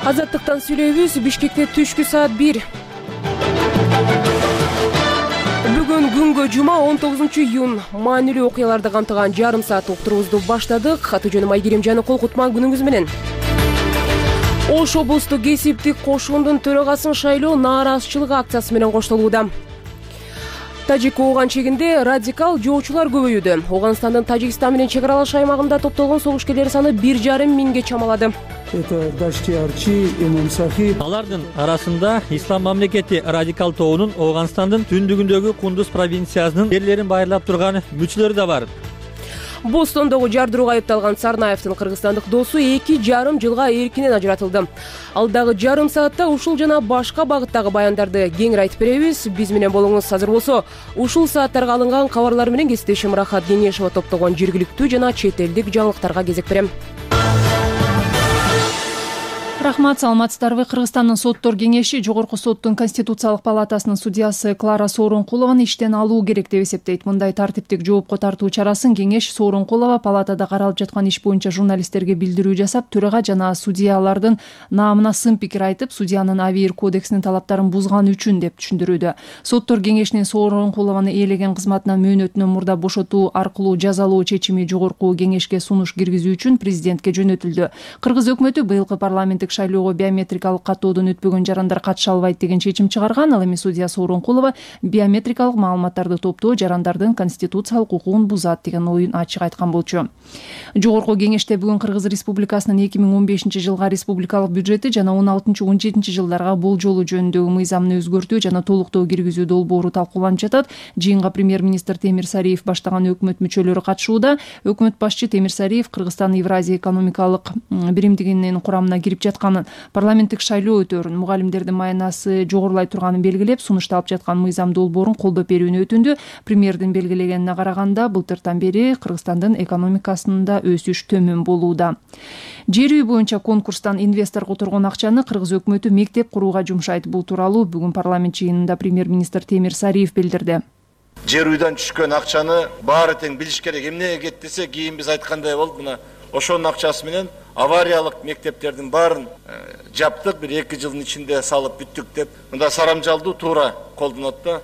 Азаттыктан сүйлөйбүз. Бишкекте түшкү саат 1. Бүгүн күнгө жума 19-июнь. Маанилүү окуяларды камтыган жарым саат уктуруубузду баштадык. Аты жөнүм Айгерим Жаныкул. Кутман күнүңүз менен. Ош облустук кесиптик кошундун төрагасын шайлоо нааразычылык акциясы менен коштолууда. Тажик ооган чегинде радикал жоочулар көбөйүүдө. Ооганстандын Тажикстан менен чек аралаш аймагында топтолгон согушкерлер саны 1,5 миңге чамалады. Алардын арасында Ислам мамлекети радикал тобунун Ооганстандын түндүгүндөгү Кундуз провинциясынын жерлерин байырлап турган мүчөлөрү да бар. Бостондогу жардырууга айыпталган Сарнаевдин кыргызстандык досу 2,5 жылга эркинен ажыратылды. Алдагы жарым саатта ушул жана башка багыттагы баяндарды кеңири айтып беребиз. Биз менен болуңуз. Азыр болсо ушул сааттарга алынган кабарлар менен кесиптешим Рахат Кеңешова топтогон жергиликтүү жана чет элдик жаңылыктарга кезек берем. Рахмат, саламатсыздарбы? Кыргызстандын соттор кеңеши Жогорку соттун Конституциялык палатасынын судьясы Клара Сооронкулованы иштен алуу керек деп эсептейт. Мындай тартиптик жоопко тартуу чарасын кеңеш Сооронкулова палатада каралып жаткан иш боюнча журналисттерге билдирүү жасап, төрага жана судьялардын наамына сын пикир айтып, судьянын АВИР кодексинин талаптарын бузганы үчүн деп түшүндүрүүдө. Соттор кеңешинин Сооронкулованы ээлеген кызматынан мөөнөтүнөн мурда бошотуу аркылуу жазалоо чечими Жогорку кеңешке сунуш киргизүү үчүн президентке жөнөтүлдү. Кыргыз өкмөтү быйылкы парламенттик шайлоого биометрикалык каттоодон өтпөгөн жарандар катыша албайт деген чечим чыгарган. Ал эми судья Сооронкулова биометрикалык маалыматтарды топтоо жарандардын конституциялык укугун бузат деген оюн ачык айткан болчу. Жогорку кеңеште бүгүн Кыргыз Республикасынын 2015 жылга республикалык бюджети жана 16-17 жылдарга болжолу жөнүндөгү мыйзамын өзгөртүү жана толуктоо киргизүү долбоору талкууланып жатат. Жыйынга премьер-министр Темир Сариев баштаган өкмөт мүчөлөрү катышууда. Өкмөт башчы Темир Сариев Кыргызстан Евразия экономикалык биримдигинин курамына кирип жатканын, парламенттик шайлоо өтөөрүн, мугалимдердин маянасы жогорулай турганын белгилеп, сунушталып жаткан мыйзам долбоорун колдоп берүүнү өтүндү. Премьердин белгилегенине караганда, былтыртан бери Кыргызстандын экономикасында өсүш төмөн болууда. Жер үй боюнча конкурстан инвестор которгон акчаны Кыргыз өкмөтү мектеп курууга жумшайт. Бул тууралуу бүгүн парламент жыйынында премьер-министр Темир Сариев билдирди. Жер үйдөн түшкөн акчаны баары тең билиш керек. Эмнеге кетти десе, кийин биз айткандай болду. Мына ошонун акчасы менен авариялык мектептердин баарын жаптык, бир 2 жылдын ичинде салып бүттүк деп. Мында сарамжалдуу туура колдонот да.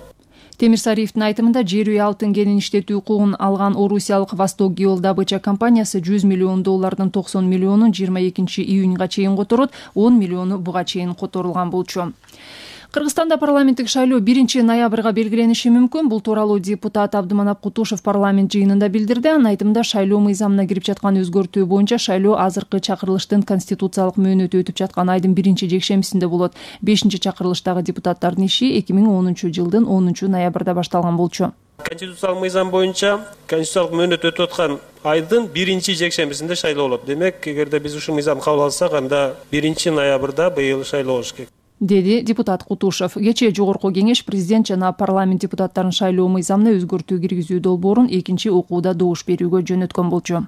Темир Сариевдин айтымында, жер үй алтын кенин иштетүү укугун алган орусиялык Восток Геолдобыча компаниясы $100 миллион 90 миллионун 22 июньга чейин которот, 10 миллиону буга чейин которулган болчу. Кыргызстанда парламенттик шайлоо 1 ноябрга белгилениши мүмкүн. Бул тууралуу депутат Абдыманап Кутушев парламент жыйынында билдирди. Анын айтымында, шайлоо мыйзамына кирип жаткан өзгөртүү боюнча шайлоо азыркы чакырылыштын конституциялык мөөнөтү өтүп жаткан айдын 1 жекшембисинде болот. 5-чакырылыштагы депутаттардын иши 2010 жылдын 10 ноябрда башталган болчу. Конституциялык мыйзам боюнча конституциялык мөөнөт өтүп аткан айдын 1 жекшембисинде шайлоо болот. Демек, эгерде биз ушул мыйзамды кабыл алсак, анда 1 ноябрда быйыл шайлоо болуш керек, деди депутат Кутушев. Кечээ Жогорку кеңеш президент жана парламент депутаттарын шайлоо мыйзамына өзгөртүү киргизүү долбоорун 2 окууда добуш берүүгө жөнөткөн болчу.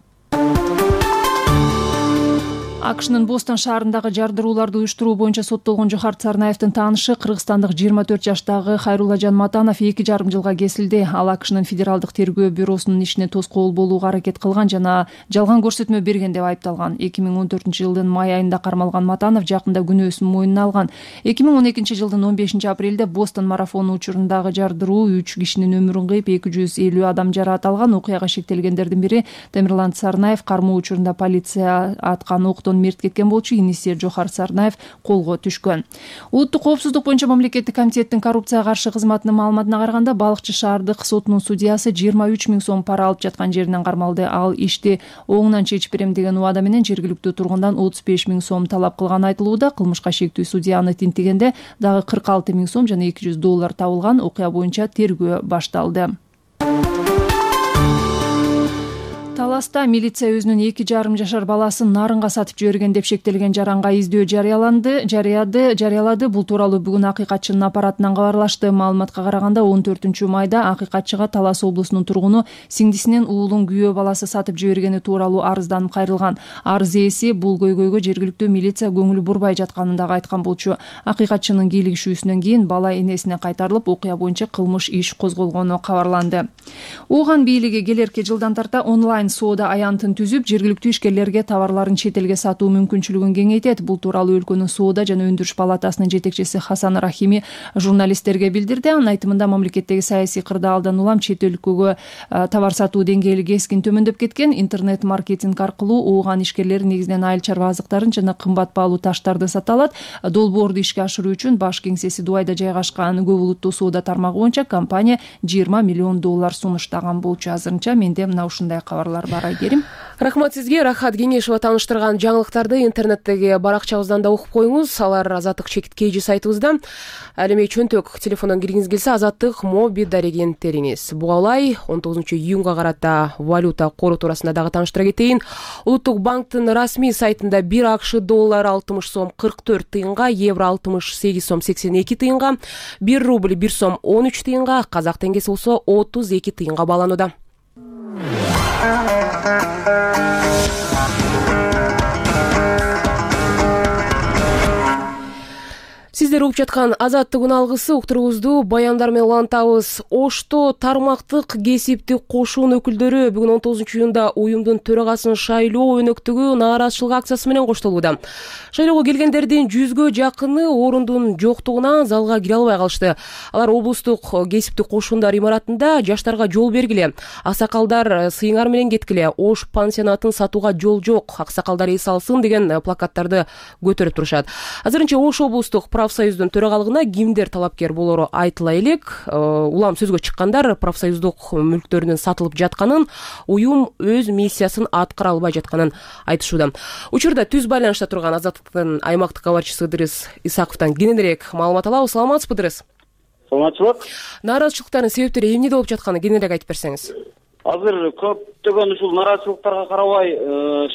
АКШнын Бостон шаарындагы жардырууларды уюштуруу боюнча соттолгон Жохарт Сарнаевдин таанышы кыргызстандык 24 жаштагы Хайруллажан Матанов 2,5 жылга кесилди. Ал АКШнын федералдык тергөө бюросунун ишине тоскоол болууга аракет кылган жана жалган көрсөтмө берген деп айыпталган. 2014 жылдын май айында кармалган Матанов жакында күнөөсүн мойнуна алган. 2012 жылдын 15 апрелде Бостон марафону учурундагы жардыруу 3 кишинин өмүрүн кыйып, 250 адам жараат алган. Окуяга шектелгендердин бири Темирлан Сарнаев кармоо учурунда полиция аткан октон мерт кеткен болчу. Иниси Жохарт Сарнаев колго түшкөн. Улуттук коопсуздук боюнча мамлекеттик комитеттин коррупцияга каршы кызматынын маалыматына караганда, Балыкчы шаардык сотунун судьясы 23 миң сом пара алып жаткан жеринен кармалды. Ал ишти оңунан чечип берем деген убада менен жергиликтүү тургундан 35 миң сом талап кылган айтылууда. Кылмышка шектүү судьяны тинтигенде дагы 46 миң сом жана $200 табылган. Окуя боюнча тергөө башталды. Таласта милиция өзүнүн 2,5 жашар баласын нарынга сатып жиберген деп шектелген жаранга издөө жарыялады. Бул тууралуу бүгүн акыйкатчынын аппаратынан кабарлашты. Маалыматка караганда, 14 майда акыйкатчыга Талас облусунун тургуну сиңдисинин уулун күйөө баласы сатып жибергени тууралуу арызданып кайрылган. Арыз ээси бул көйгөйгө жергиликтүү милиция көңүлү бурбай жатканын дагы айткан болчу. Акыйкатчынын кийлигишүүсүнөн кийин бала энесине кайтарылып, окуя боюнча кылмыш иш козголгону кабарланды. Ооган бийлиги келерки жылдан тарта онлайн онлайн соода аянтын түзүп, жергиликтүү ишкерлерге товарларын чет элге сатуу мүмкүнчүлүгүн кеңейтет. Бул тууралуу өлкөнүн соода жана өндүрүш палатасынын жетекчиси Хасан Рахими журналисттерге билдирди. Анын айтымында мамлекеттеги саясий кырдаалдан улам чет өлкөгө товар сатуу деңгээли кескин төмөндөп кеткен. Интернет маркетинг аркылуу ууган ишкерлер негизинен айыл чарба азыктарын жана кымбат баалуу таштарды сата алат. Долбоорду ишке ашыруу үчүн баш кеңсеси Дубайда жайгашкан көп улуттуу соода тармагы боюнча компания $20 миллион сунуштаган болчу. Азырынча менде мына ушундай кабарлар бар, Айгерим. Рахмат сизге. Рахат Кеңешова тааныштырган жаңылыктарды интернеттеги баракчабыздан да окуп коюңуз. Алар Азаттык чекиткейжи сайтыбызда. Ал эми чөнтөк телефондон киргиңиз келсе, Азаттык моби дареген териңиз. Буга улай 19 июнга карата валюта кору туурасында дагы тааныштыра кетейин. Улуттук банктын расмий сайтында 1 АКШ доллары 60 сом 44 тыйынга, евро 68 сом 82 тыйынга, 1 рубль 1 сом 13 тыйынга, казак теңгеси болсо 32 тыйынга бааланууда. Сиздер угуп жаткан Азаттык алгысы уктуруубузду баяндар менен улантабыз. Ошто тармактык кесиптик кошуун өкүлдөрү бүгүн 19 июнда уюмдун төрагасын шайлоо өнөктүгү нааразычылык акциясы менен коштолууда. Шайлоого келгендердин 100гө жакыны орундун жоктугунан залга кире албай калышты. Алар облустук кесиптик кошуундар имаратында жаштарга жол бергиле, аксакалдар сыйыңар менен кеткиле, Ош пансионатын сатууга жол жок, аксакалдар эс алсын деген плакаттарды көтөрүп турушат. Азырынча Ош облустук профсоюздун төрагалыгына кимдер талапкер болору айтыла элек. Улам сөзгө чыккандар профсоюздук мүлктөрүнүн сатылып жатканын, уюм өз миссиясын аткара албай жатканын айтышууда. Учурда түз байланышта турган Азаттыктын аймактык кабарчысы Ыдырыс Исаковдон кененирээк маалымат алабыз. Саламатсызбы, Ыдырыс? Саламатчылык. Нааразычылыктардын себептери эмнеде болуп жатканы кененирээк айтып берсеңиз. Азыр көптөгөн ушул нааразычылыктарга карабай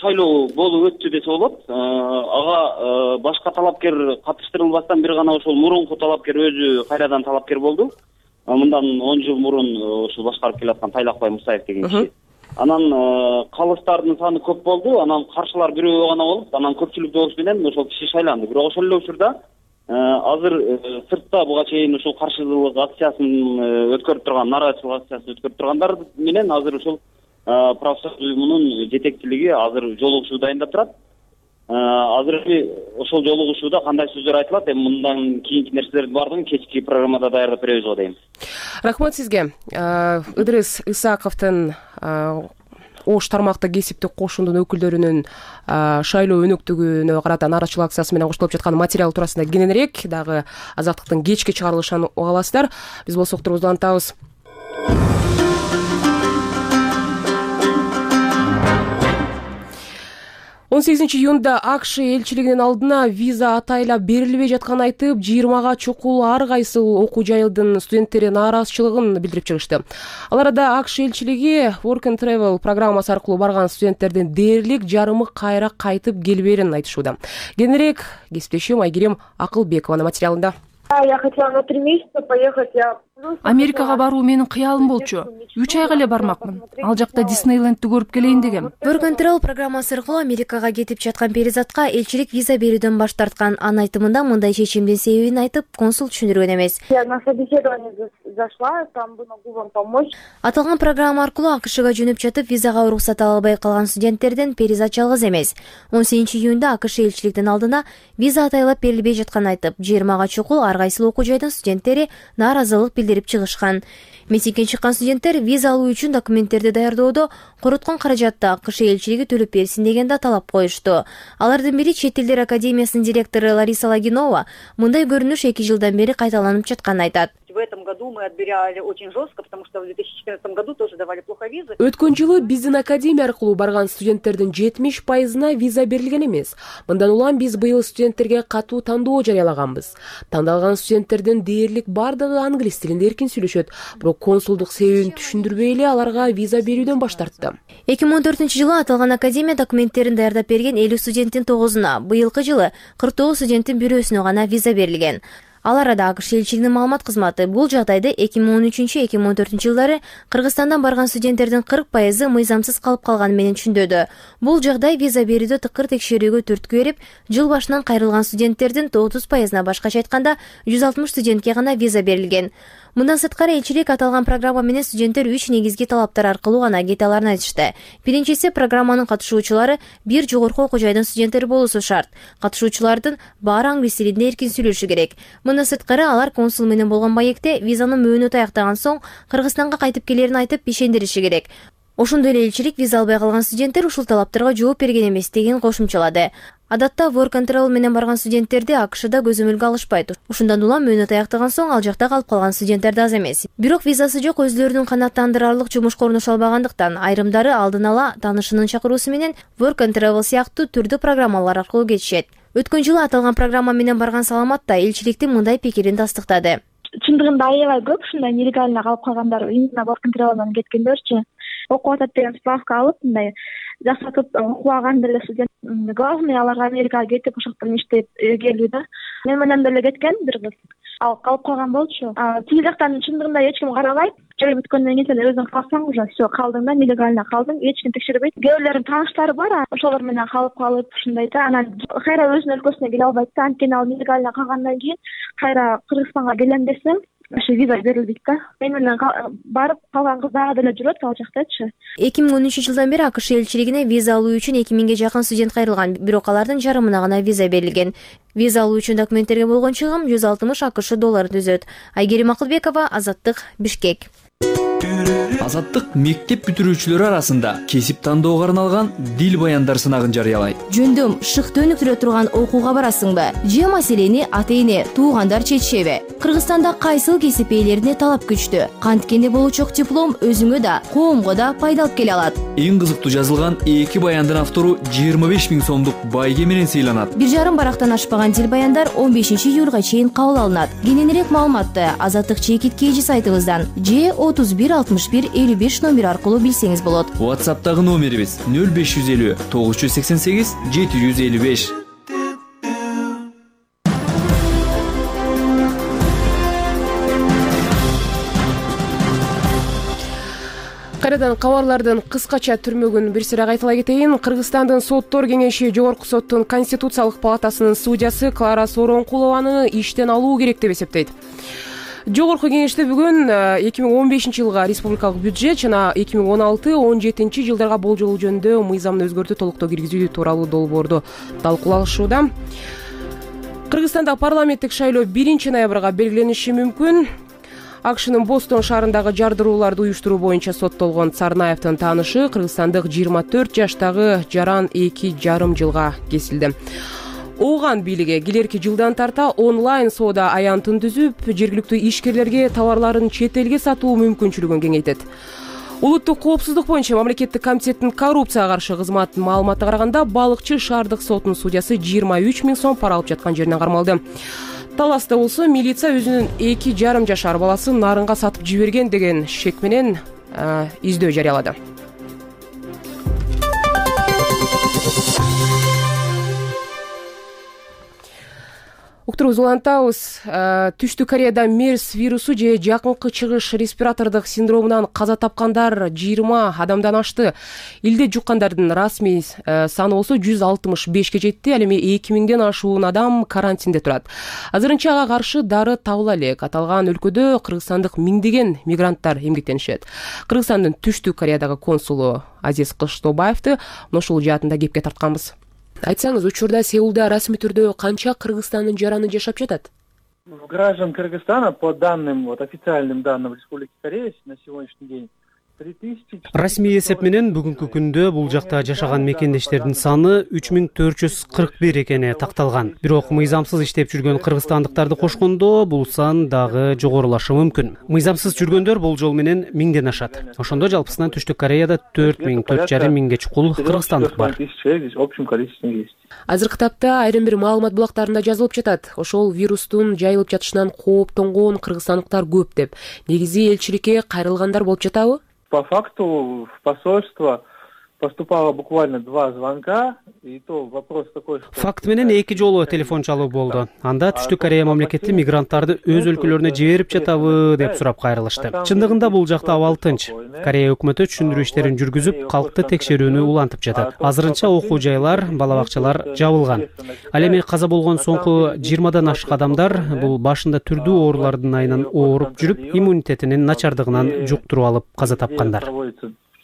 шайлоо болуп өттү десе болот. Ага башка талапкер катыштырылбастан бир гана ошол мурунку талапкер өзү кайрадан талапкер болду. Мындан 10 жыл мурун ошол башкарып келаткан Тайлакбай Мусаев деген киши. Анан калыстардын саны көп болду. Анан каршылар бирөө гана болуп, анан көпчүлүк добуш менен ошол киши шайланды. Бирок ошол эле учурда азыр сыртта буга чейин ушул каршылык акциясын өткөрүп турган, нааразычылык акциясын өткөрүп тургандар менен азыр ушул профсоюз уюмунун жетекчилиги азыр жолугушуу дайындап турат. Азыр ошол жолугушууда кандай сөздөр айтылат, эми мындан кийинки нерселердин баардыгын кечки программада даярдап беребиз го дейм. Рахмат сизге. Ыдырыс Исаковдун Ош тармактык кесиптик кошуундун өкүлдөрүнүн шайлоо өнөктүгүнө карата нааразычылык акциясы менен коштолуп жаткан материал туурасында кененирээк дагы Азаттыктын кечки чыгарылышын уга аласыздар. Биз болсо уктуруубузду улантабыз. 18 июнда АКШ элчилигинин алдына виза атайлап берилбей жатканын айтып, 20га чукул ар кайсыл окуу жайылдын студенттери нааразычылыгын билдирип чыгышты. Ал арада АКШ элчилиги Work and Travel программасы аркылуу барган студенттердин дээрлик жарымы кайра кайтып келбээрин айтышууда. Кененирээк кесиптешим Айгерим Акылбекованын материалында. Я хотела на 3 месяца поехать. Америкага баруу менин кыялым болчу. 3 айга эле бармакмын. Ал жакта Диснейлендти көрүп келейин дегем. Work and Travel программасы аркылуу Америкага кетип жаткан перизатка элчилик виза берүүдөн баш тарткан. Анын айтымында мындай чечимдин себебин айтып, консул түшүндүргөн эмес. Я на собеседование зашла, там бы могу вам помочь. Аталган программа аркылуу АКШга жөнөп жатып, визага уруксат ала албай калган студенттерден перизат жалгыз эмес. 18 июнда АКШ элчиликтин алдына виза атайлап берилбей жатканын айтып, 20га чукул ар кайсыл окуу жайдын студенттери нааразылык билдирип чыгышкан. Митингге чыккан студенттер виза алуу үчүн документтерди даярдоодо короткон каражатты АКШ элчилиги төлөп берсин деген да талап коюшту. Алардын бири Чет элдер академиясынын директору Лариса Лагинова мындай көрүнүш 2 жылдан бери кайталанып жатканын айтат. В этом году мы отбирали очень жестко, потому что в 2014 году тоже давали плохо визы. Өткөн жылы биздин академия аркылуу барган студенттердин 70%-на виза берилген эмес. Мындан улам биз быйыл студенттерге катуу тандоо жарыялаганбыз. Тандалган студенттердин дээрлик бардыгы англис тилинде эркин сүйлөшөт, бирок консулдук себебин түшүндүрбөй эле аларга виза берүүдөн баш тартты. 2014-жылы аталган академия документтерин даярдап берген 50 студенттин 9-уна, быйылкы жылы 49 студенттин бирөөсүнө гана виза берилген. Ал арада АКШ элчилигинин маалымат кызматы бул жагдайды 2013-2014 жылдары Кыргызстандан барган студенттердин 40% мыйзамсыз калып калганы менен түшүндүрдү. Бул жагдай виза берүүдө тыкыр текшерүүгө түрткү берип, жыл башынан кайрылган студенттердин 30%-на башкача айтканда 160 студентке гана виза берилген. Мындан сырткары элчилик аталган программа менен студенттер 3 негизги талаптар аркылуу гана кете аларын айтышты. Биринчиси, программанын катышуучулары бир жогорку окуу жайдын студенттери болуусу шарт. Катышуучулардын баары англис тилинде эркин сүйлөшү керек. Мындан сырткары алар консул менен болгон маекте визанын мөөнөтү аяктаган соң Кыргызстанга кайтып келерин айтып ишендириши керек. Ошондой эле элчилик виза албай калган студенттер ушул талаптарга жооп берген эместигин кошумчалады. Адатта work and travel менен барган студенттерди АКШда көзөмөлгө алышпайт. Ушундан улам мөөнөт аяктаган соң ал жакта калып калган студенттер да аз эмес. Бирок визасы жок өзлөрүнүн канааттандырарлык жумушка орношо албагандыктан айрымдары алдын ала таанышынын чакыруусу менен work and travel сыяктуу түрдүү программалар аркылуу кетишет. Өткөн жылы аталган программа менен барган Саламат да элчиликтин мындай пикирин тастыктады. Чындыгында аябай көп ушундай нелегально калып калгандар, именно work and travel'дан кеткендерчи. Окуп атат деген справка алып, мындай жасатып окубаган деле студент. Главный аларга Америкага кетип ошоктон иштеп келүү да. Мен менен деле кеткен бир кыз. Ал калып калган болчу. Тиги жактан чындыгында эч ким карабайт. Жай бүткөндөн кийин сен өзүң калсаң уже всё, калдың да, нелегально калдың, эч ким текшербейт. Кээ бирлердин тааныштары бар, ошолор менен калып ушундай да, анан кайра өзүнүн өлкөсүнө келе албайт да. Анткени ал нелегально калгандан кийин кайра Кыргызстанга келем десем, ошо виза берилбейт да. Мен менен барып калган кыз дагы деле жүрөт ал жактачы. 2013 жылдан бери АКШ элчилигине виза алуу үчүн 2000ге жакын студент кайрылган, бирок алардын жарымына гана виза берилген. Виза алуу үчүн документтерге болгон чыгым 160 АКШ долларын түзөт. Айгерим Акылбекова, Азаттык, Бишкек. Азаттык мектеп бүтүрүүчүлөрү арасында кесип тандоого арналган дил баяндар сынагын жарыялайт. Жөндөм шыкты өнүктүрө турган окууга барасыңбы? Же маселени ата-эне, туугандар чечишеби? Кыргызстанда кайсыл кесип ээлерине талап күчтүү? Канткенде болучок диплом өзүңө да, коомго да пайда алып келе алат. Эң кызыктуу жазылган 2 баяндын автору 25 000 сомдук байге менен сыйланат. 1,5 барактан ашпаган дил баяндар 15 июлга чейин кабыл алынат. Кененирээк маалыматты Азаттык чекит KG сайтыбыздан же 31 61 55 номер аркылуу билсеңиз болот. WhatsApp'тагы номерибиз 0550 988 755. Кайрадан кабарлардын кыскача түрмөгүн бир сыра кайталай кетейин. Кыргызстандын соттор кеңеши Жогорку соттун Конституциялык палатасынын судьясы Клара Сооронкулованы иштен алуу керек деп эсептейт. Жогорку кеңеште бүгүн 2015 жылга республикалык бюджет жана 2016-17 жылдарга болжол жөнүндө мыйзамды өзгөртүү толуктоо киргизүү тууралуу долбоорду талкуулашууда. Кыргызстанда парламенттик шайлоо 1 ноябрга белгилениши мүмкүн. АКШнын Бостон шаарындагы жардырууларды уюштуруу боюнча соттолгон Царнаевдин таанышы кыргызстандык 24 жаштагы Жаран 2,5 жылга кесилди. Ооган бийлиги келерки жылдан тарта онлайн соода аянтын түзүп, жергиликтүү ишкерлерге товарларын чет элге сатуу мүмкүнчүлүгүн кеңейтет. Улуттук коопсуздук боюнча мамлекеттик комитеттин коррупцияга каршы кызматынын маалыматына караганда Балыкчы шаардык сотунун судьясы 23 000 сом пара алып жаткан жеринен кармалды. Таласта болсо милиция өзүнүн 2,5 жашар баласын нарынга сатып жиберген деген шек менен издөө жарыялады. Уктурубузду улантабыз. Түштүк Кореяда MERS вирусу же жакынкы чыгыш респиратордук синдромунан каза тапкандар 20 адамдан ашты. Илде жуккандардын расмий саны болсо 165ке жетти. Ал эми 2000ден ашуун адам карантинде турат. Азырынча ага каршы дары табыла элек. Аталган өлкөдө кыргызстандык миңдеген мигранттар эмгектенишет. Кыргызстандын Түштүк Кореядагы консулу Азиз Кыштобаевди ушул жаатында кепке тартканбыз. Айтсаңыз, учурда Сеулда расмий түрдө канча кыргызстандын жараны жашап жатат? Граждан Кыргызстана, по данным, официальным данным Республики Корея на сегодняшний день, Расмий эсеп менен бүгүнкү күндө бул жакта жашаган мекендештердин саны 3441 экени такталган. Бирок мыйзамсыз иштеп жүргөн кыргызстандыктарды кошкондо бул сан дагы жогорулашы мүмкүн. Мыйзамсыз жүргөндөр болжол менен 1000ден ашат. Ошондо жалпысынан Түштүк Кореяда 4,000–4,5 миңге чукул кыргызстандык бар. Азыркы тапта айрым бир маалымат булактарында жазылып жатат. Ошол вирустун жайылып жатышынан кооптонгон кыргызстандыктар көп деп. Негизи элчиликке кайрылгандар болуп жатабы? По факту в посольство поступало буквально 2 звонка И то вопрос такой, что факт менен 2 жолу телефон чалуу болду. Анда Түштүк Корея мамлекети мигранттарды өз өлкөлөрүнө жиберип жатабы деп сурап кайрылышты. Чындыгында бул жакта абал тынч. Корея өкмөтү түшүндүрүү иштерин жүргүзүп, калкты текшерүүнү улантып жатат. Азырынча окуу жайлар, бала бакчалар жабылган. Ал эми каза болгон соңку 20дан ашык адамдар бул башында түрдүү оорулардын айынан ооруп жүрүп, иммунитетинин начардыгынан жуктуруп алып каза тапкандар.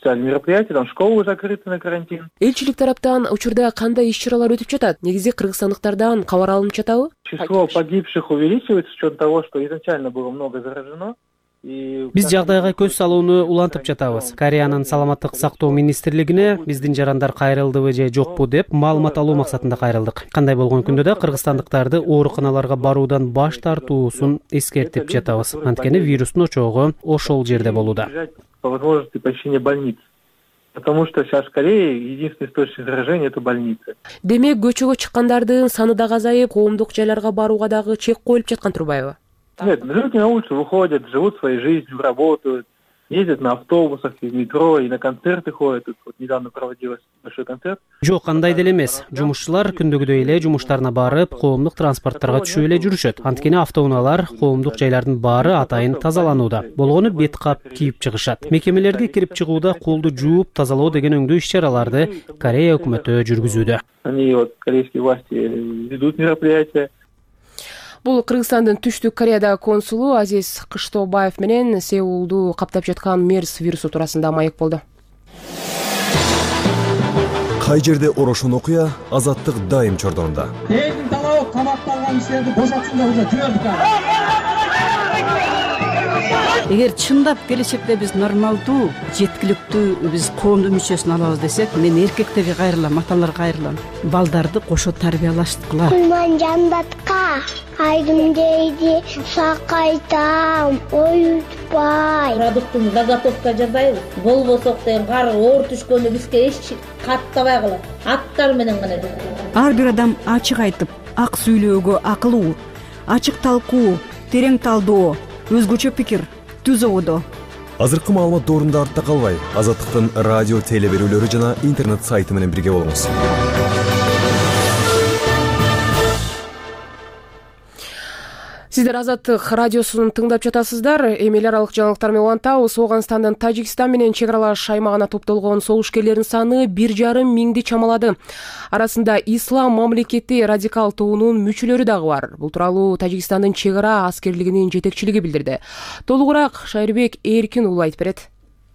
Мероприятия, там школы закрыты на карантин. Элчилик тараптан учурда кандай иш-чаралар өтүп жатат? Негизи кыргызстандыктардан кабар алынып жатабы? Число погибших увеличивается с учетом того, что изначально было много заражено. Биз жагдайга көз салууну улантып жатабыз. Кореянын саламаттык сактоо министрлигине биздин жарандар кайрылдыбы же жокпу деп маалымат алуу максатында кайрылдык. Кандай болгон күндө да кыргызстандыктарды ооруканаларга баруудан баш тартуусун эскертип жатабыз. Анткени вирустун очогу ошол жерде болууда. По возможности посещения больниц. Потому что сейчас в Корее единственный источник заражения — это больницы. Демек, көчөгө чыккандардын саны дагы азайып, коомдук жайларга барууга дагы чек коюлуп жаткан турбайбы? Нет, люди на улицу выходят, живут своей жизнью, работают, ездят на автобусах, в метро и на концерты ходят. Тут вот недавно проводилось большой концерт. Жок, андай деле эмес. Жумушчулар күндөгүдөй эле жумуштарына барып, коомдук транспорттарга түшүп эле жүрүшөт. Анткени автоунаалар, коомдук жайлардын баары атайын тазаланууда. Болгону бет кап кийип чыгышат. Мекемелерге кирип чыгууда колду жууп, тазалоо деген өңдүү иш-чараларды Корея өкмөтү жүргүзүүдө. Они вот корейские власти ведут мероприятия. Бул Кыргызстандын Түштүк Кореядагы консулу Азиз Кыштобаев менен Сеулду каптап жаткан мерс вирусу туурасында маек болду. Кай жерде орошон окуя, Азаттык дайым чордонунда. Элдин талабы камакта алган кишилерди бошотсун деп уже жибердик. Эгер чындап келечекте биз нормалдуу, жеткиликтүү биз коомдун мүчөсүн алабыз десек, мен эркектерге кайрылам, аталарга кайрылам. Балдарды кошо тарбиялаштыкыла. Кулман жандатка айдым дейди, сакайтам, оютпай. Продуктун заготовка жасайбыз. Болбосок деген кар оор түшкөндө бизге эч каттабайгыла. Аттар менен гана. Ар бир адам ачык айтып, ак сүйлөөгө акылуу, ачык талкуу, терең талдоо, өзгөчө пикир түзөбүдө. Азыркы маалымат доорунда артта калбай, Азаттыктын радио теле берүүлөрү жана интернет сайты менен бирге болуңуз. Сиздер Азаттык радиосун тыңдап жатасыздар. Эми эл аралык жаңылыктар менен улантабыз. Ооганстандын Тажикстан менен чек аралаш аймагына топтолгон согушкерлердин саны 1,5 миңди чамалады. Арасында ислам мамлекети радикал тобунун мүчөлөрү дагы бар. Бул тууралуу Тажикстандын чек ара аскерлигинин жетекчилиги билдирди. Толугураак Шайырбек Эркин уулу айтып берет.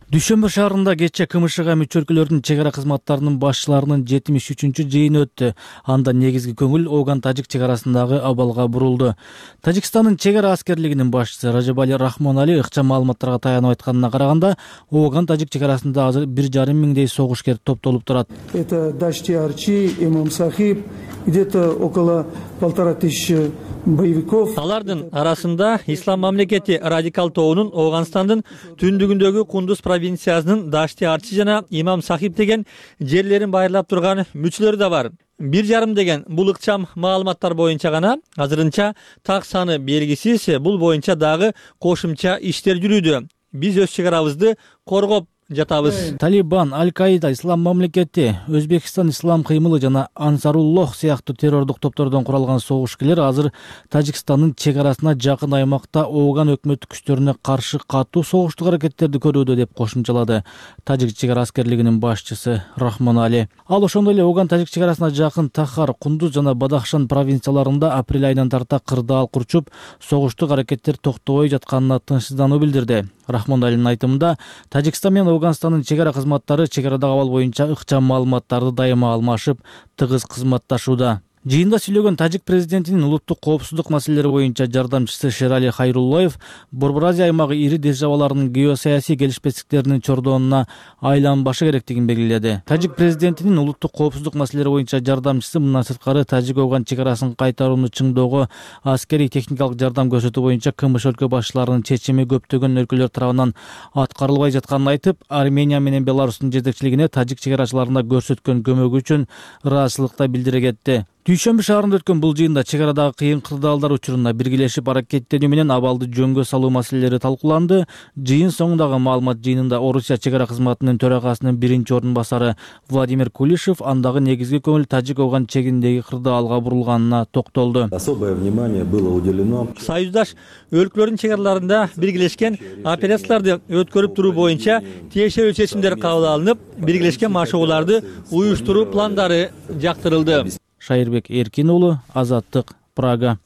Дүйшөмбү шаарында кечээ КМШга мүчө өлкөлөрдүн чек ара кызматтарынын башчыларынын 73-чү жыйыны өттү. Анда негизги көңүл Ооган-Тажик чек арасындагы абалга бурулду. Тажикстандын чек ара аскерлигинин башчысы Ражабали Рахмонали ыкчам маалыматтарга таянып айтканына караганда, Ооган-Тажик чек арасында азыр 1,5 миңдей согушкер топтолуп турат. Это Дашти Арчи, Имам Сахиб, где-то около 1500 боевиков. Алардын арасында ислам мамлекети радикал тобунун Оогандын түндүгүндөгү Кундуз провинциясынын Дашти Арчи жана Имам Сахиб деген жерлерин байырлап турган мүчөлөр да бар. 1,5 деген бул ыкчам маалыматтар боюнча гана, азырынча так саны белгисиз. Бул боюнча дагы кошумча иштер жүрүүдө. Биз өз чек арабызды коргоп жатабыз. Талибан, Аль-Каида, Ислам мамлекети, Өзбекстан ислам кыймылы жана Ансаруллох сыяктуу террордук топтордон куралган согушкерлер азыр Тажикстандын чек арасына жакын аймакта Ооган өкмөттүк күчтөрүнө каршы катуу согуштук аракеттерди көрүүдө деп кошумчалады Тажик чек ара аскерлигинин башчысы Рахмонали. Ал ошондой эле Ооган-Тажик чек арасына жакын Тахар, Кундуз жана Бадахшан провинцияларында апрель айынан тарта кырдаал курчуп, согуштук аракеттер токтобой жатканына тынчсыздануу билдирди. Рахмоналинин айтымында, Тажикстан менен Оогандын чек ара кызматтары чек арадагы абал боюнча ыкчам маалыматтарды дайыма алмашып, тыгыз кызматташууда. Жыйында сүйлөгөн Тажик президентинин улуттук коопсуздук маселелери боюнча жардамчысы Шерали Хайруллоев Борбор Азия аймагы ири державаларынын геосаясий келишпестиктеринин чордонуна айланбашы керектигин белгиледи. Тажик президентинин улуттук коопсуздук маселелери боюнча жардамчысы мындан сырткары Тажик-Ооган чек арасын кайтарууну чыңдоого аскерий техникалык жардам көрсөтүү боюнча КМШ өлкө башчыларынын чечими көптөгөн өлкөлөр тарабынан аткарылбай жатканын айтып, Армения менен Беларустун жетекчилигине Тажик чек арачыларына көрсөткөн көмөгү үчүн ыраазычылык да билдире кетти. Дүйшөмбү шаарында өткөн бул жыйында чек арадагы кыйын кырдаалдар учуруна биргелешип аракеттенүү менен абалды жөнгө салуу маселелери талкууланды. Жыйын соңундагы маалымат жыйынында Орусия чек ара кызматынын төрагасынын биринчи орун басары Владимир Кулишев андагы негизги көңүл Тажик-Афган чегиндеги кырдаалга бурулганына токтолду. Особое внимание было уделено. Союздаш өлкөлөрдүн чек араларында биргелешкен операцияларды өткөрүп туруу боюнча тиешелүү чечимдер кабыл алынып, биргелешкен машыгууларды уюштуруу пландары жактырылды. Шайырбек Эркин уулу, Азаттык, Прага.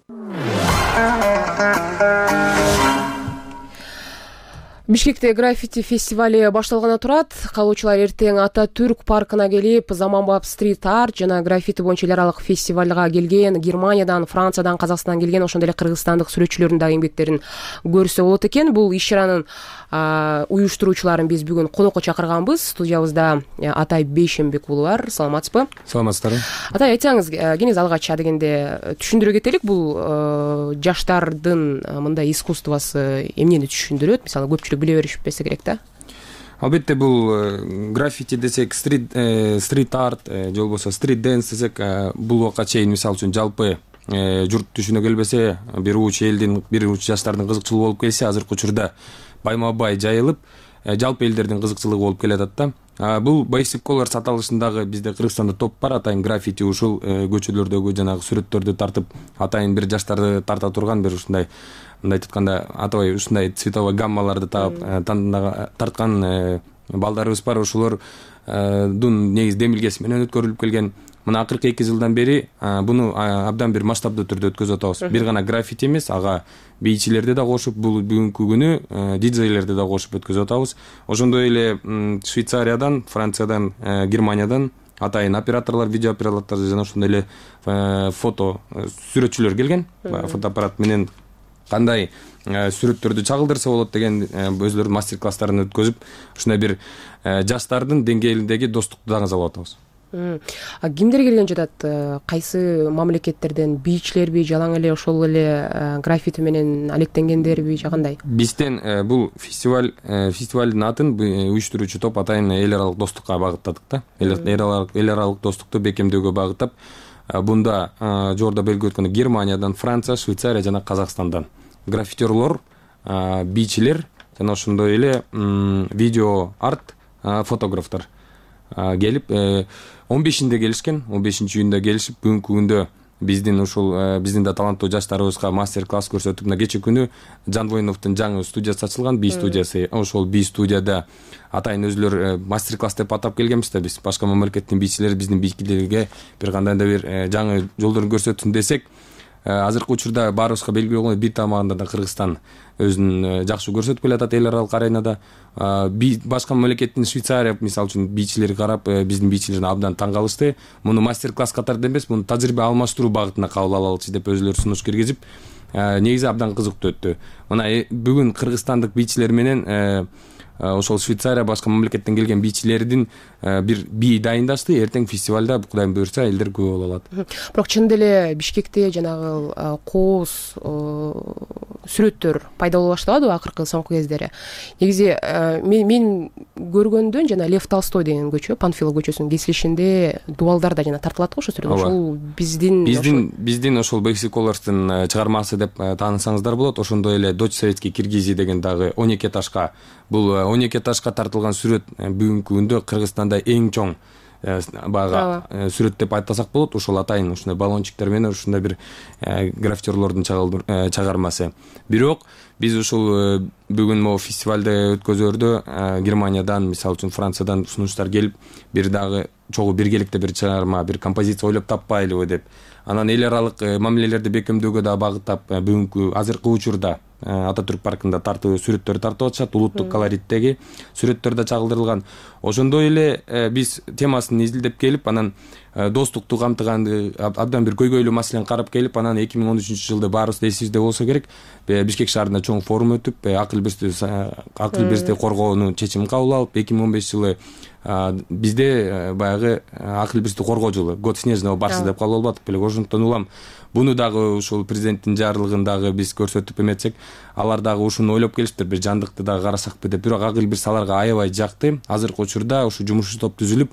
Бишкекте граффити фестивали башталганы турат. Калуучулар эртең Ататүрк паркына келип, заманбап стрит арт жана граффити боюнча эл аралык фестивалга келген Германиядан, Франциядан, Казакстандан келген, ошондой эле кыргызстандык сүрөтчүлөрдүн дагы эмгектерин көрсө болот экен. Бул иш чаранын уюштуруучуларын биз бүгүн конокко чакырганбыз. Студиябызда Атай Бейшембек уулу бар. Саламатсызбы? Саламатсыздарбы. Атай, айтсаңыз, кеңиз алгач дегенде түшүндүрө кетелик. Бул жаштардын мындай искусствосы эмнени түшүндүрөт? Мисалы, көпчүлүк биле беришпесе керек да. Албетте бул граффити десек, стрит арт же болбосо стрит дэнс десек, бул убакка чейин мисалы үчүн жалпы журт түшүнө келбесе, бир уч элдин, бир уч жаштардын кызыкчылыгы болуп келсе, азыркы учурда байма-бай жайылып, жалпы элдердин кызыкчылыгы болуп келатат да. Бул байсипколор саталышындагы бизде Кыргызстанда топ бар, атайын граффити ушул көчөлөрдөгү жанагы сүрөттөрдү тартып, атайын бир жаштарды тарта турган бир ушундай, мындай айтканда, атабай ушундай цветовой гаммаларды тарткан балдарыбыз бар. Ошолордун негизи демилгеси менен өткөрүлүп келген. Мына акыркы 2 жылдан бери буну абдан бир масштабдуу түрдө өткөзүп атабыз. Бир гана граффити эмес, ага бийчилерди да кошуп, бул бүгүнкү күнү диджейлерди да кошуп өткөзүп атабыз. Ошондой эле Швейцариядан, Франциядан, Германиядан атайын операторлор, видео операторлор жана ошондой эле фото сүрөтчүлөр келген. Фотоаппарат менен кандай сүрөттөрдү чагылдырса болот деген өзлөрүнүн мастер-класстарын өткөзүп, ушундай бир жаштардын деңгээлиндеги достукту даңыз алып атабыз. Кимдер келген жатат? Кайсы мамлекеттерден? Бийчилерби, жалаң эле ошол эле граффити менен алектенгендерби, же кандай? Бизден бул фестивалдын атын уюштуруучу топ атайын эл аралык достукка багыттадык да. Эл аралык достукту бекемдөөгө багыттап, бунда жогоруда белгилеп өткөндөй Германиядан, Франция, Швейцария жана Казакстандан граффитерлор, бийчилер жана ошондой эле видео арт фотографтар келип 15-inde келишкен, 15-июнда келишип, бүгүнкү күндө биздин да таланттуу жаштарыбызга мастер-класс көрсөтүп, мына кече күнү Жанбоиновдун жаңы студиясы ачылган, би студиясы. Ошол би студияда атайын өзлөр мастер-класс деп атап келгенбиз да биз. Башка мамлекеттин бийчилери биздин бийчилерге бир кандай да бир жаңы жолдорун көрсөтсүн десек, азыркы учурда баарыбызга белгилүү болгондой бир тамагында да Кыргызстан өзүн жакшы көрсөтүп келатат эл аралык аренада. Башка мамлекеттин Швейцария мисалы үчүн бийчилери карап, биздин бийчилерден абдан таң калышты. Муну мастер-класс катарында эмес, муну тажрыйба алмаштыруу багытына кабыл алалычы деп өзлөрү сунуш киргизип, негизи абдан кызыктуу өттү. Мына бүгүн кыргызстандык бийчилер менен ошол Швейцария, башка мамлекеттен келген бийчилердин бир бий дайындашты. Эртең фестивалда Кудайым буйрса элдер көп боло алат. Бирок чындап эле Бишкекте жанагы кооз сүрөттөр пайда боло баштабадыбы акыркы соңку кездери? Негизи мен көргөндөн жана Лев Толстой деген көчө, Панфилов көчөсүнүн кесилишинде дубалдар да жана тартылат го ошол сүрөт. Ошол биздин ошол Бейсиколордун чыгармасы деп таанысаңыздар болот. Ошондой эле Дочь советский Киргизии деген дагы 12 этажга, бул 12 этажга тартылган сүрөт бүгүнкү күндө Кыргызстанда эң чоң бага сүрөт деп айтсак болот. Ошол атайын ушундай баллончиктер менен ушундай бир граффитерлордун чыгармасы. Бирок биз ушул бүгүн могу фестивалды өткөзөрдө Германиядан, мисалы үчүн Франциядан сунуштар келип, бир дагы чогуу биргеликте бир чыгарма, бир композиция ойлоп таппайлыбы деп. Анан эл аралык мамилелерди бекемдөөгө да багыттап, бүгүнкү азыркы учурда Ататүрк паркында сүрөттөр тартып атышат, улуттук колориттеги сүрөттөр да чагылдырылган. Ошондой эле биз темасын изилдеп келип, анан достукту камтыган абдан бир көйгөйлүү маселени карап келип, анан 2013-жылды баарыбыз эсибизде болсо керек, Бишкек шаарында чоң форум өтүп, акыл бирсти коргоонун чечимин кабыл алып, 2015-жылы бизде баягы акыл бирсти коргоо жылы, год снежного барса деп кабыл алып атып элек. Ошондон улам буну дагы ушул президенттин жарлыгын дагы биз көрсөтүп эметсек, алар дагы ушуну ойлоп келиптир, бир жандыкты дагы карасакпы деп. Бирок акыл бирс аларга аябай жакты. Азыркы учурда ушу жумуш топ түзүлүп,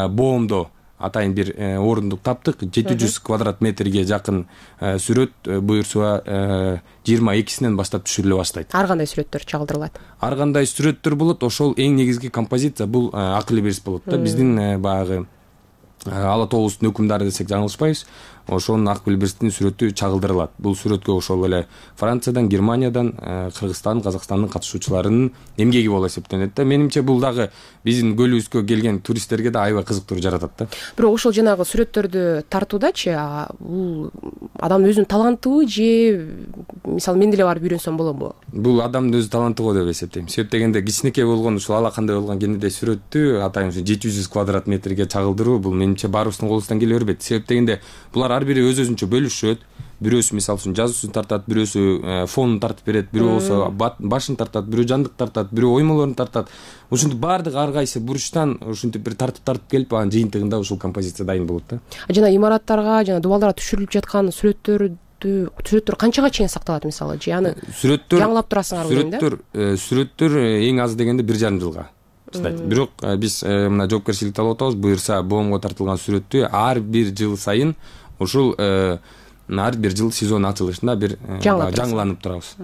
боомдо атайын бир орундук таптык. 700 квадрат метрге жакын сүрөт буюрса 22-синен баштап түшүрүлө баштайт. Ар кандай сүрөттөр чагылдырылат? Ар кандай сүрөттөр болот, ошол эң негизги композиция бул акылы берис болот да. Биздин баягы Ала тообуздун өкүмдары десек жаңылышпайбыз. Ошонун акыл беристин сүрөтү чагылдырылат. Бул сүрөткө ошол эле Франциядан, Германиядан, Кыргызстан, Казакстандын катышуучуларынын эмгеги болуп эсептелет да. Менимче бул дагы биздин көлүбүзгө келген туристтерге да аябай кызыктыруу жаратат да. Бирок ошол жанагы сүрөттөрдү тартуудачы бул адамдын өзүнүн талантыбы же мисалы мен деле барып үйрөнсөм боломбу? Бул адамдын өзү таланты го деп эсептейм. Себеп дегенде кичинекей болгон ушул ала кандай болгон кенедей сүрөттү атайын 700 квадрат метрге чагылдыруу бул менимче баарыбыздын колубуздан келе бербейт. Себеп дегенде булар ар бири өз-өзүнчө бөлүшөт. Бирөөсү мисалы үчүн жазуусун тартат, бирөөсү фонун тартып берет, бирөө болсо башын тартат, бирөө жандык тартат, бирөө оймолорун тартат. Ушинтип баардыгы ар кайсы бурчтан ушинтип бир тартып келип, анын жыйынтыгында ушул композиция дайын болот да. Жана имараттарга, жана дубалдарга түшүрүлүп жаткан сүрөттөр канчага чейин сакталат мисалы? Же аны жаңылап турасыңарбы дейм да? Сүрөттөр эң аз дегенде 1,5 жылга чыдайт. Бирок биз мына жоопкерчиликти алып атабыз. Буюрса боомго тартылган сүрөттү ар бир жыл сайын ушул ар бир жыл сезон ачылышында бир жаңыланып турабыз.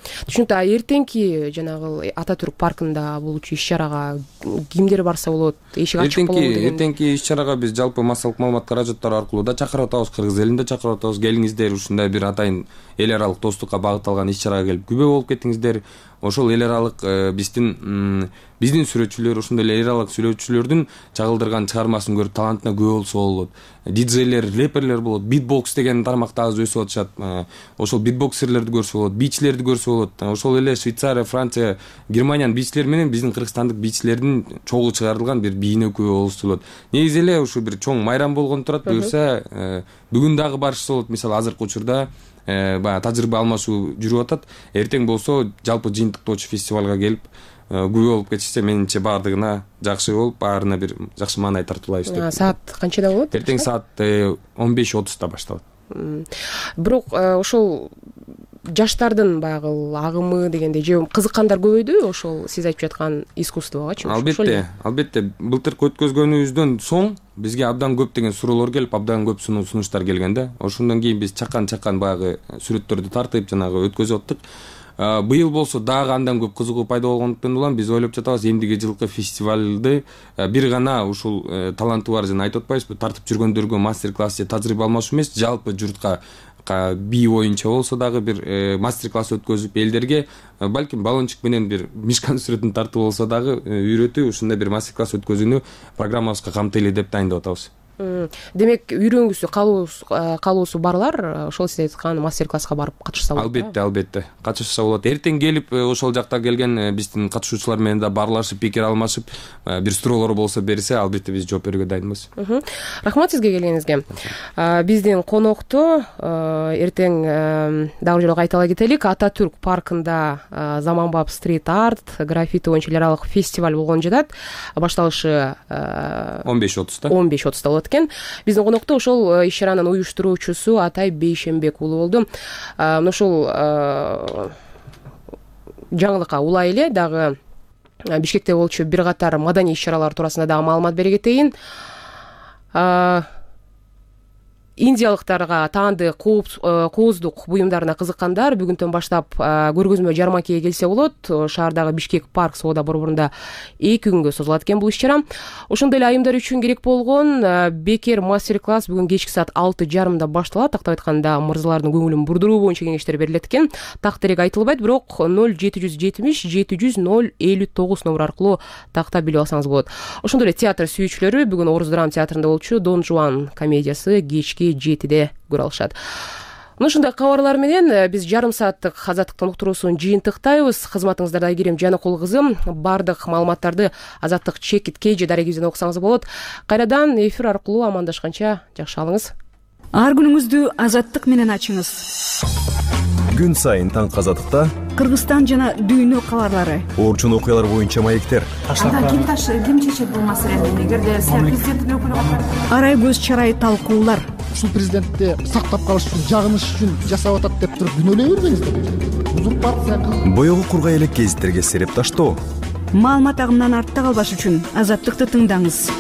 Түшүнүктүү. Эртеңки жанагы Ататүрк паркында болуучу иш-чарага кимдер барса болот? Эшик ачык болобу деген? Эртеңки иш-чарага биз жалпы массалык маалымат каражаттары аркылуу да чакырып атабыз. Кыргыз элин да чакырып атабыз. Келиңиздер, ушундай бир атайын эл аралык достукка багытталган иш-чарага келип күбө болуп кетиңиздер. Ошол эл аралык биздин сүрөтчүлөр, ошондой эле эл аралык сүрөтчүлөрдүн чагылдырган чыгармасын көрүп талантына күбө болсо болот. Диджейлер, рэперлер болот, битбокс деген тармакта азыр өсүп атышат. Ошол битбоксерлерди көрсө болот, бичлерди көрсө болот. Ошол эле Швейцария, Франция, Германиянын бичилери менен биздин кыргызстандык бичилердин чогуу чыгарылган бир бийине күбө болсо болот. Негизи эле ушу бир чоң майрам болгон турат. Буюрса бүгүн дагы барышса болот. Мисалы азыркы учурда баягы тажрыйба алмашуу жүрүп атат. Эртең болсо жалпы жыйынтыктоочу фестивалга келип күбө болуп кетишсе менимче баардыгына жакшы болуп, баарына бир жакшы маанай тартуулайбыз деп. Саат канчада болот? Эртең саат 15:30 башталат. Бирок ошол жаштардын баягы агымы дегенде же кызыккандар көбөйдүбү ошол сиз айтып жаткан искусствогачы? Албетте. Былтыркы өткөзгөнүбүздөн соң бизге абдан көп деген суроолор келип, абдан көп сунуштар келген да. Ошондон кийин биз чакан баягы сүрөттөрдү тартып жанагы өткөзүп аттык. Быйыл болсо дагы андан көп кызыгуу пайда болгондуктан улам биз ойлоп жатабыз эмдиги жылкы фестивалды бир гана ушул таланты бар жана айтып атпайбызбы, тартып жүргөндөргө мастер-класс же тажрыйба алмашуу эмес, жалпы журтка бий боюнча болсо дагы бир мастер-класс өткөзүп элдерге балким баллончик менен бир мишкан сүрөтүн тартып болсо дагы үйрөтүп ушундай бир мастер-класс өткөзүүнү программабызга камтыйлы деп дайындап атабыз. Демек үйрөнгүсү калуусу барлар ошол сиз айткан мастер-класска барып катышса болот. Албетте катышса болот. Эртең келип ошол жакта келген биздин катышуучулар менен да баарлашып, пикир алмашып, бир суроолор болсо берсе, албетте биз жооп берүүгө дайынбыз. Рахмат сизге келгениңизге. Биздин конокту эртең дагы жолу кайталай кетелик. Ататүрк паркында заманбап стрит арт, граффити боюнча эл аралык фестиваль болгон жатат. Башталышы 15:30 болот. Биздин конокто ошол иш-чаранын уюштуруучусу Атай Бейшембек уулу болду. Ошол жаңылыкка улай эле дагы Бишкекте болчу бир катар маданий иш-чаралар туурасында дагы маалымат бере кетейин. Индиялыктарга таандык кооздук буюмдарына кызыккандар бүгүндөн баштап көргөзмө жармакеге келсе болот. Шаардагы Бишкек парк соода борборунда 2 күнгө созулат экен бул иш-чара. Ошондой эле айымдар үчүн керек болгон бекер мастер-класс бүгүн кечки саат 6:30 башталат. Тактап айтканда мырзалардын көңүлүн бурдуруу боюнча кеңештер берилет экен. Так терек айтылбайт, бирок 0770 700 059 номер аркылуу тактап билип алсаңыз болот. Ошондой эле театр сүйүүчүлөрү бүгүн Орус драма театрында болчу Дон Жуан комедиясы кечки 7-де көрө алышат. Ушундай кабарлар менен биз жарым сааттык азаттыктын уктуруусун жыйынтыктайбыз. Кызматыңыздарда Айгерим Жаныкул кызым. Бардык маалыматтарды Азаттык чекит KG дарегибизден окусаңыз болот. Кайрадан эфир аркылуу амандашканча жакшы алыңыз. Ар күнүңүздү Азаттык менен ачыңыз. Күн сайын таң Азаттыкта Кыргызстан жана дүйнө кабарлары, орчун окуялар боюнча маектер. Ким чечет бул маселени? Эгерде президенттин өкүлү арай көз чарай талкуулар. Ушул президентти сактап калыш үчүн, жагыныш үчүн жасап атат деп туруп күнөөлөй бербеңиздер. Узурпация. Боёгу кургай элек гезиттерге сереп таштоо. Маалымат агымынан артта калбаш үчүн Азаттыкты тыңдаңыз.